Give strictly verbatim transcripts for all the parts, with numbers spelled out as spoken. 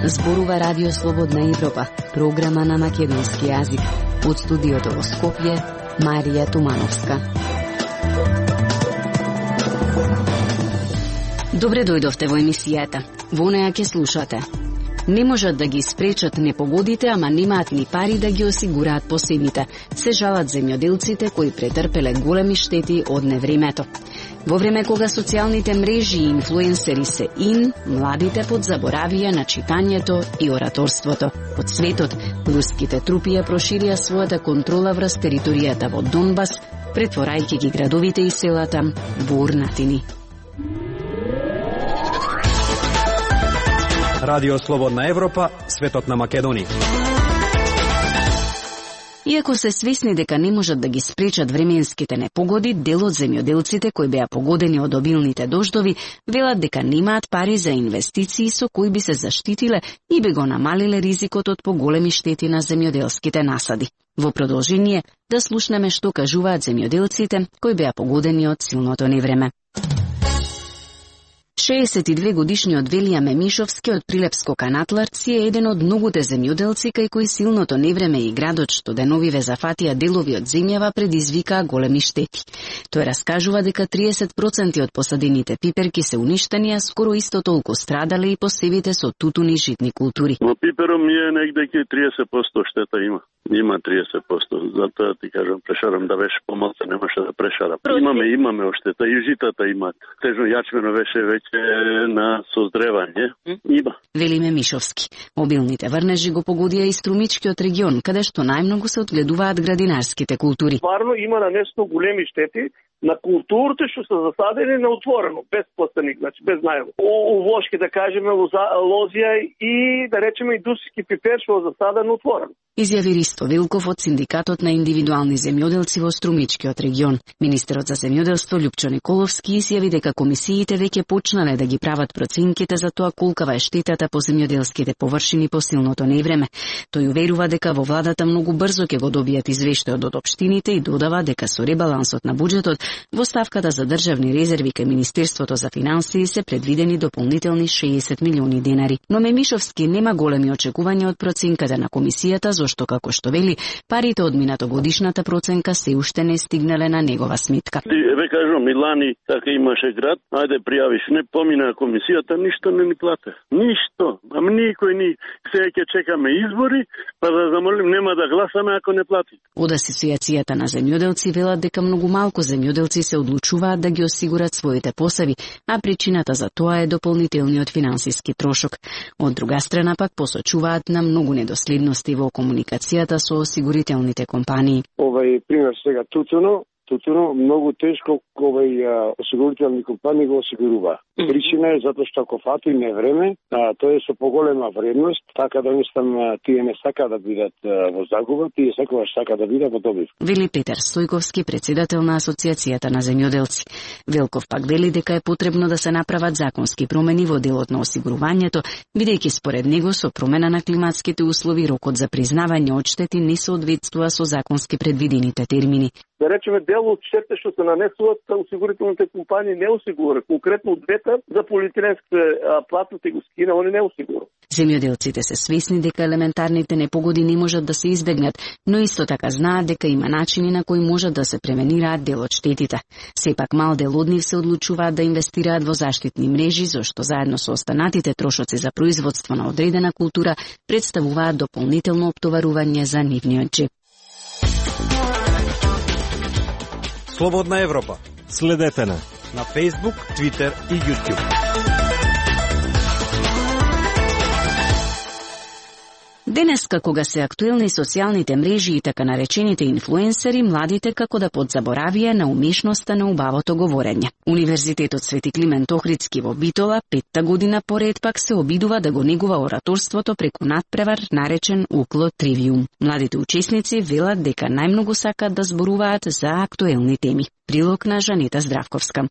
Зборува Радио Слободна Европа, програма на македонски јазик. Од студиото во Скопје, Марија Тумановска. Добре дојдовте во емисијата. Во неја ќе слушате. Не можат да ги спречат непогодите, ама немаат ни пари да ги осигураат посебите. Се жалат земјоделците кои претрпеле големи штети од невремето. Во време кога социјалните мрежи и инфлуенсери се ин, младите подзаборавија на читањето и ораторството. Од светот, руските трупи ја проширија својата контрола врз територијата во Донбас, претворајќи ги градовите и селата во урнатини. Радио Слободна Европа, светот на Македонија. Иако се свесни дека не можат да ги спречат временските непогоди, дел од земјоделците кои беа погодени од обилните дождови велат дека немаат пари за инвестиции со кои би се заштитиле и би го намалиле ризикот од поголеми штети на земјоделските насади. Во продолжение да слушнеме што кажуваат земјоделците кои беа погодени од силното невреме. шеесет и две годишниот Велија Мемишовски од Прилепско Канатларци е еден од многуте земјоделци кај кои силното невреме и градот што деновиве зафатија делови од земјава предизвикаа големи штети. Тој раскажува дека триесет проценти од посадените пиперки се уништени, а скоро исто толку страдале и посевите со тутуни и житни култури. Во пипером ми е негде ке триесет проценти штета има. Има триесет проценти. Затоа ти кажам, прешарам да беше помалку, немаше да прешарам. Имаме, имаме оштета и житата имаат. Тежно јачмено беше веќе на создревање. Има. Вели Мемишовски. Обилните врнежи го погодија и струмичкиот регион, каде што најмногу се одгледуваат градинарските култури. Стварно има нанесено големи штети на културите што се засадени на отворено, без пластеник, значи без најло. Овошки, да кажеме, лозија и, да речеме, индустријски пипер што е засаден отворено. Изјави Ристо Вилков од Синдикатот на индивидуални земјоделци во Струмичкиот регион. Министерот за земјоделство Љупчо Николовски изјави дека комисиите веќе почнале да ги прават проценките за тоа колкава е штетата по земјоделските површини по силното невреме. Тој уверува дека во владата многу брзо ќе го добијат извештајот од општините и додава дека со ребалансот на буџетот во ставката за државни резерви кај Министерството за финансии се предвидени дополнителни шеесет милиони денари. Но Мемишовски нема големи очекувања од проценката на комисијата, зашто, како што вели, парите од минатогодишната проценка се уште не стигнале на негова сметка. Ве кажам, Милани, така имаше град, ајде пријавиш, не помина комисијата, ништо не ни плате. Ништо. Ама никој ни. Сега ќе чекаме избори, па да замолим, нема да гласаме ако не плати. Од Асоциацијата на земјоделци велат дека многу малку земјоделци се одлучуваат да ги осигурат своите посеви, а причината за тоа е дополнителниот финансиски трошок. Од друга страна пак посочуваат на многу недоследности во комуникацијата со осигурителните компании. Овај пример сега тутуно, тутуно многу тешко овај осигурителни компании го осигурува. Причина е затоа што ако фати не време, а, тоа е со поголема вредност, така да едноставно тие не сака да бидат а, во загуба, тие секогаш сака да бидат во добив. Вели Петар Стојковски, председател на Асоциацијата на земјоделци. Велков пак вели дека е потребно да се направат законски промени во делот на осигурувањето, бидејќи според него со промена на климатските услови рокот за признавање одштети не соодветствува со законски предвидените термини. Да речеме, дел од штетите што се нанесуваат, осигурителните компании не осигуруваат. Конкретно двете за полиетиленските платните го скина, они не осигуруваат. Земјоделците се свесни дека елементарните непогоди не можат да се избегнат, но исто така знаат дека има начини на кои можат да се пременираат дел од штетите. Сепак мал дел од нив се одлучуваат да инвестираат во заштитни мрежи, зашто заедно со останатите трошоци за производство на одредена култура представуваат дополнително оптоварување за нивниот джеб. Слободна Европа. Следете на на Facebook, Twitter и YouTube. Денеска, кога се актуелни социјалните мрежи и така наречените инфлуенсери, младите како да подзаборавија на умешноста на убавото говорење. Универзитетот Свети Климент Охридски во Битола петта година поред пак се обидува да го негува ораторството преку надпревар наречен Укло Тривиум. Младите учесници велат дека најмногу сакаат да зборуваат за актуелни теми. Прилог на Жанета Здравковска.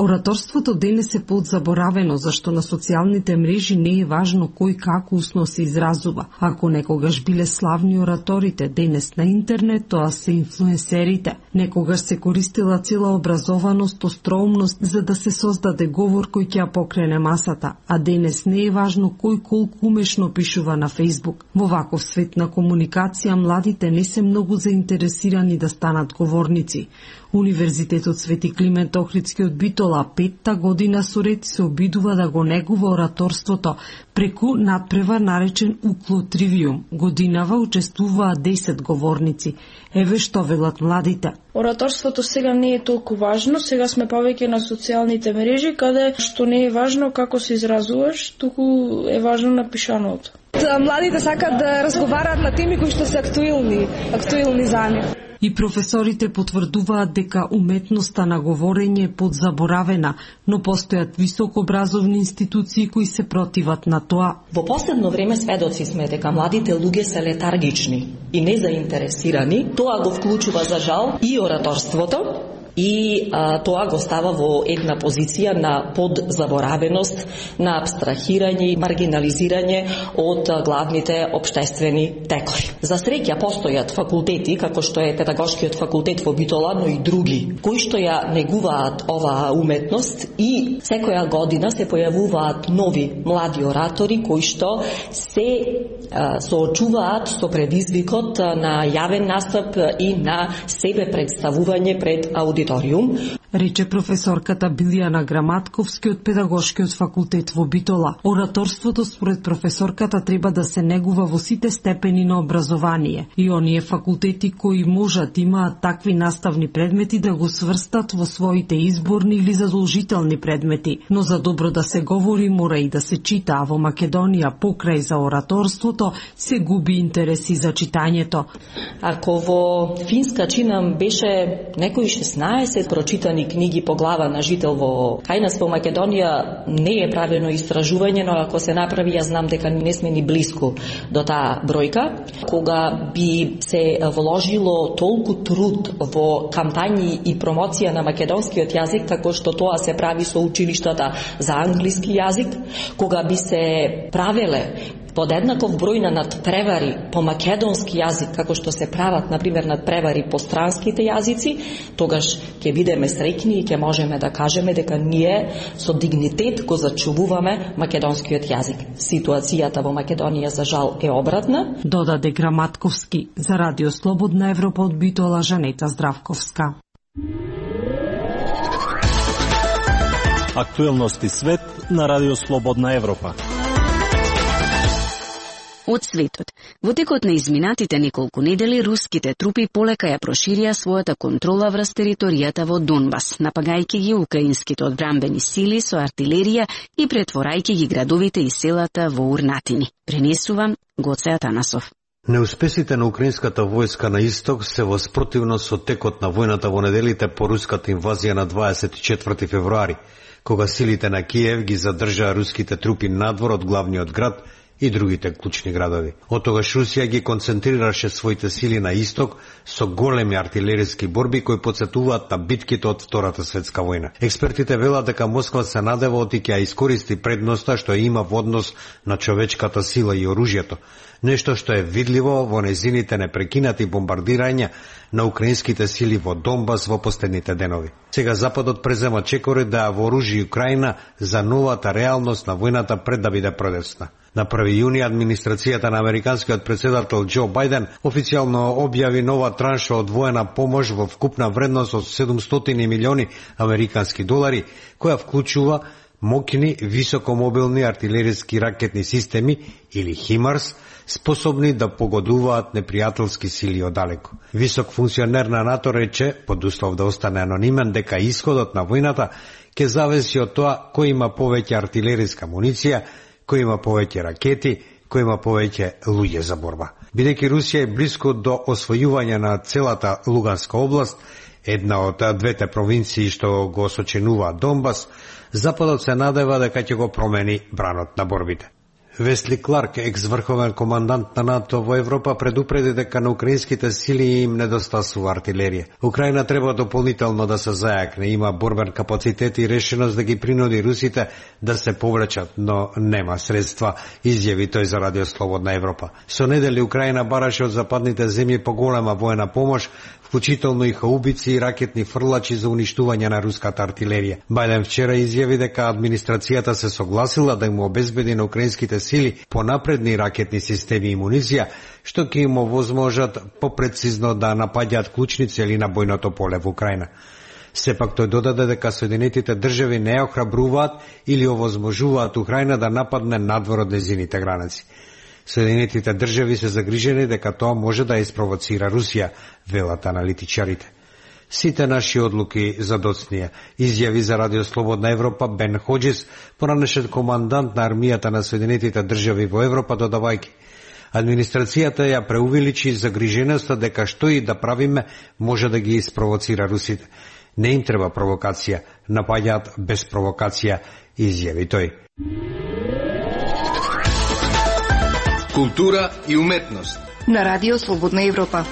Ораторството денес е подзаборавено, зашто на социјалните мрежи не е важно кој како усно се изразува. Ако некогаш биле славни ораторите, денес на интернет тоа се инфлуенсерите. Некогаш се користила цела образованост, остроумност за да се создаде говор кој ќе ја покрене масата, а денес не е важно кој колку умешно пишува на Фејсбук. Во ваков свет на комуникација младите не се многу заинтересирани да станат говорници. Универзитетот Свети Климент Охридски од Битола петта година соред се обидува да го негува ораторството преку надпревар наречен Укло Тривиум. Годинава учествуваат десет говорници. Еве што велат младите. Ораторството сега не е толку важно, сега сме повеќе на социјалните мрежи, каде што не е важно како се изразуваш, туку е важно напишаното. Младите сакат да разговараат на теми кои што се актуелни, актуелни за нив. И професорите потврдуваат дека уметноста на говорење е подзаборавена, но постојат високообразовни институции кои се противат на тоа. Во последно време сведоци сме дека младите луѓе се летаргични и незаинтересирани. Тоа го вклучува за жал и ораторството, и а, тоа го става во една позиција на подзаборавеност, на абстрахирање и маргинализирање од а, главните општествени текови. За среќа постојат факултети, како што е Педагошкиот факултет во Битола, но и други, кои што ја негуваат оваа уметност и секоја година се појавуваат нови млади оратори кои што се а, соочуваат со предизвикот на јавен настап и на себе представување пред аудиторија. Рече професорката Билијана Граматковски од Педагошкиот факултет во Битола. Ораторството според професорката треба да се негува во сите степени на образование и оние факултети кои можат имаат такви наставни предмети да го сврстат во своите изборни или задолжителни предмети. Но за добро да се говори мора и да се чита, а во Македонија покрај за ораторството се губи интереси за читањето. Ако во Финска чинам беше некои шеснаесет прочитани книги по глава на жител во кај нас во Македонија не е правено истражување, но ако се направи, јас знам дека не сме ни блиску до таа бројка. Кога би се вложило толку труд во кампањи и промоција на македонскиот јазик, како што тоа се прави со училиштата за англиски јазик, кога би се правеле подеднаков број на надпревари по македонски јазик, како што се прават, например, надпревари по странските јазици, тогаш ќе бидеме среќни и ќе можеме да кажеме дека ние со дигнитет го зачувуваме македонскиот јазик. Ситуацијата во Македонија за жал е обратна. Додаде Граматковски. За Радио Слободна Европа од Битола Жанета Здравковска. Актуелности свет на Радио Слободна Европа. Од светот. Во текот на изминатите неколку недели, руските трупи полека ја проширија својата контрола врз територијата во Донбас, напагајќи ги украинските одбранбени сили со артилерија и претворајќи ги градовите и селата во урнатини. Пренесувам Гоце Атанасов. Неуспесите на украинската војска на исток се во спротивност со текот на војната во неделите по руската инвазија на дваесет и четврти февруари, кога силите на Киев ги задржаа руските трупи надвор од главниот град и другите клучни градови. Од тогаш Русија ги концентрираше своите сили на исток со големи артилериски борби кои потсетуваат на битките од Втората светска војна. Експертите велат дека Москва се надева оти ќе ја искористи предноста што има во однос на човечката сила и оружјето, нешто што е видливо во незините непрекинати бомбардирања на украинските сили во Донбас во последните денови. Сега Западот презема чекори да ја вооружи Украина за новата реалност на војната пред да биде продесна. На први јуни администрацијата на американскиот председател Џо Бајден официјално објави нова транша од воена помош во вкупна вредност од седумстотини милиони американски долари, која вклучува моќни високомобилни артилериски ракетни системи или химарс, способни да погодуваат непријателски сили одалеку. Висок функционер на НАТО рече, под услов да остане анонимен, дека исходот на војната ќе зависи од тоа кој има повеќе артилериска муниција, кој има повеќе ракети, кој има повеќе луѓе за борба. Бидејќи Русија е близко до освојување на целата Луганска област, една од двете провинции што го сочинува Донбас, Западот се надева дека ќе го промени бранот на борбите. Весли Кларк, екс-врховен командант на НАТО во Европа, предупреди дека на украинските сили им недостасува артилерија. Украина треба дополнително да се зајакне, има борбен капацитет и решеност да ги принуди русите да се повлечат, но нема средства, изјави тој за Радио Слободна Европа. Со недели Украина бараше од западните земји поголема воена помош, вклучително и хаубици и ракетни фрлачи за уништување на руската артилерија. Бајден вчера изјави дека администрацијата се согласила да им обезбеди на украинските сили понапредни ракетни системи и муниција, што ќе им овозможат попрецизно да напаѓаат клучни цели на бојното поле во Украина. Сепак тој додаде дека Соединетите држави не охрабруваат или овозможуваат Украина да нападне надвор од нејзините граници. Соединетите држави се загрижени дека тоа може да испровоцира Русија, велат аналитичарите. Сите наши одлуки за доцнија, изјави за Радио Слободна Европа Бен Ходжис, поранешен командант на армијата на Соединетите држави во Европа, додавајќи: администрацијата ја преувеличи загриженоста дека што и да правиме може да ги испровоцира русите. Не им треба провокација, напаѓаат без провокација, изјави тој. Култура и уметност на Радио Слободна Европа.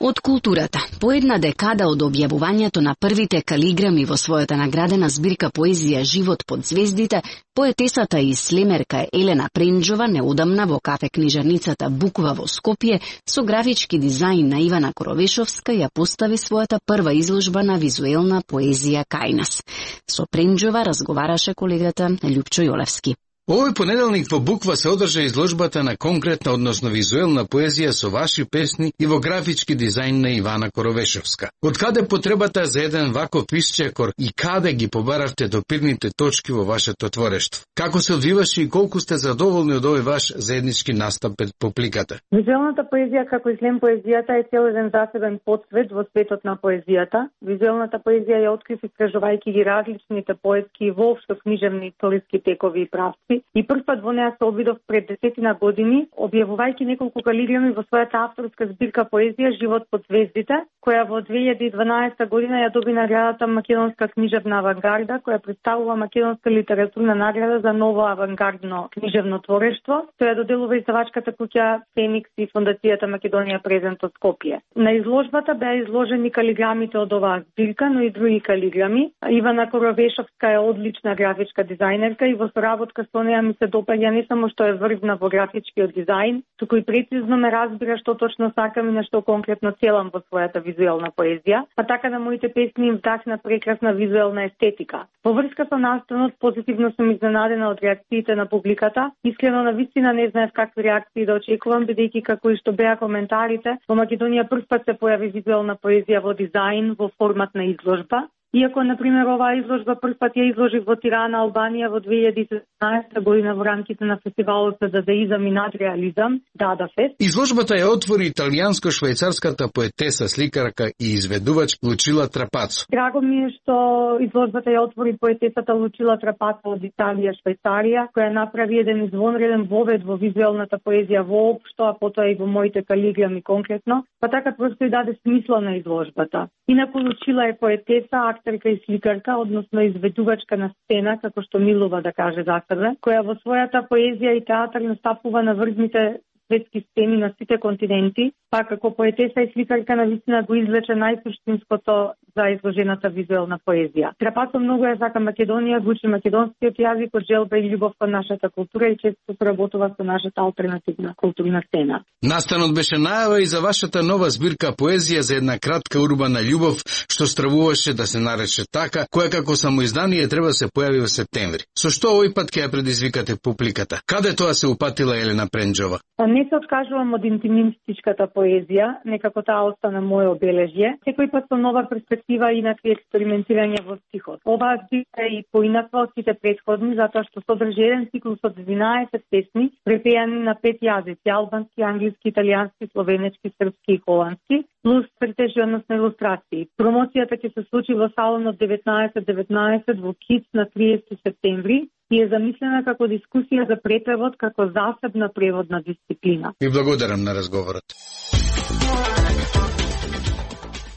Од културата, по една декада од објавувањето на првите калиграми во својата наградена збирка поезија Живот под звездите, поетесата и слемерка Елена Пренџова неодамна во кафе книжарницата Буква во Скопје со графички дизајн на Ивана Коровешовска ја постави својата прва изложба на визуелна поезија кај нас. Со Пренџова разговараше колегата Љупчо Јолевски. Овој понеделник во Буква се одржа изложбата на конкретна, односно визуелна поезија со ваши песни и во графички дизајн на Ивана Коровешовска. Од каде потребата за еден ваков исчекор и каде ги побаравте допирните точки во вашето творештво? Како се одвиваше и колку сте задоволни од овој ваш заеднички настап пред публиката? Визуелната поезија, како и слем поезијата, е цел еден засебен подсвет во светот на поезијата. Визуелната поезија ја открив истражувајќи ги различните поетски и воопшто книжевни историски текови и правци. И прв пат во неа се обидов пред десетина години, објавувајќи неколку калиграми во својата авторска збирка поезија Живот под звездите, која во две илјади и дванаесета година ја доби наградата Македонска книжевна авангарда, која представува македонска литературна награда за ново авангардно книжевно творештво. Тоа ја доделува издавачката куќа Феникс и Фондацијата Македонија презент од Скопје. На изложбата беа изложени калиграмите од оваа збирка, но и други калиграми. Ивана Коровешовска е одлична графичка дизајнерка и во соработка со неа ми се допаѓа не само што е врвна во графичкиот дизајн, туку и прецизно ме разбира што точно сакам и на што конкретно целам во својата визуелна поезија, а така на моите песни им вдахна прекрасна визуелна естетика. Во врска со настанот, позитивно сум изненадена од реакциите на публиката. Искрено на вистина не знаев какви реакции да очекувам, бидејќи како и што беа коментарите, во Македонија прв пат се појави визуелна поезија во дизајн во формат на изложба. Иако, например, оваа изложба прв пат ја изложи во Тирана, Албанија во две илјади и седнаесета година во рамките на фестивалот за дадеизам и надреализам, Дада Фест. Изложбата ја отвори италијанско-швајцарската поетеса, сликарка и изведувач Лучила Трапацо. Драго ми е што изложбата ја отвори поетесата Лучила Трапацо од Италија, Швајцарија, која направи еден извонреден вовед во визуелната поезија воопшто, а потоа и во моите калиграми конкретно, па така просто и даде смисла на изложбата. Инаку Лучила е поетеса, актерка и сликарка, односно изведувачка на сцена, како што милува да каже за себе, која во својата поезија и театар настапува на врвните светски сцени на сите континенти, па како поетеса и сликарка на вистина го извлече најсуштинското за изложената визуелна поезија. Трапацо многу ја сака Македонија, го учи македонскиот јазик од желба и љубов кон нашата култура и често соработува со нашата алтернативна културна сцена. Настанот беше најава и за вашата нова збирка поезија за една кратка урбана љубов, што стравуваше да се нарече така, која како самоиздание треба да се појави во септември. Со што овој пат ќе ја предизвикате публиката? Каде тоа се упатила Елена Пренџова? Не се откажувам од интимистичката поезија, некако таа остана моје обележје. Секој пат со нова перспектива и инакви експериментирање во стихот. Оваа збирка е и поинаква од сите претходни, затоа што содржи еден циклус од единаесет песни, препејани на пет јазици: албански, англиски, италијански, словенечки, српски и холандски, плюс цртежи, односно илустрации. Промоцијата ќе се случи во салонот деветнаесет деветнаесет во Киц на триесети септември и е замислена како дискусија за препевод како засебна преводна дисциплина. Ви благодарам на разговорот.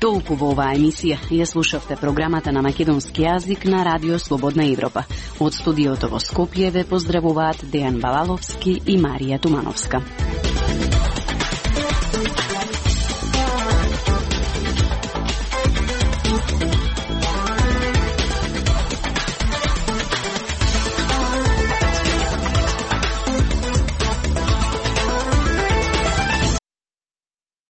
Толку во оваа емисија ја слушавте програмата на македонски јазик на Радио Слободна Европа. Од студиото во Скопје ве поздравуваат Дејан Балаловски и Марија Тумановска.